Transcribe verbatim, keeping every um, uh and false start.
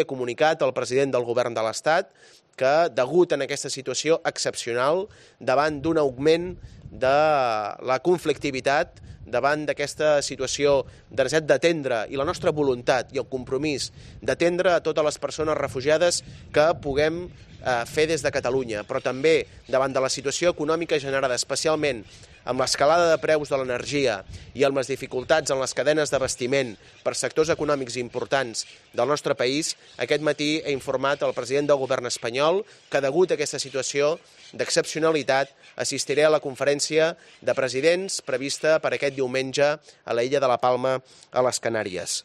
He comunicat al president del govern de l'Estat que, degut a aquesta situació excepcional, davant d'un augment de la conflictivitat, davant d'aquesta situació de necessitat d'atendre i la nostra voluntat i el compromís d'atendre a totes les persones refugiades que puguem eh, fer des de Catalunya, però també davant de la situació econòmica generada especialment amb l'escalada de preus de l'energia i amb les dificultats en les cadenes d'abastiment per sectors econòmics importants del nostre país, aquest matí he informat al president del govern espanyol que, degut a aquesta situació d'excepcionalitat, assistiré a la conferència de presidents prevista per aquest diumenge a l'illa de la Palma, a les Canàries.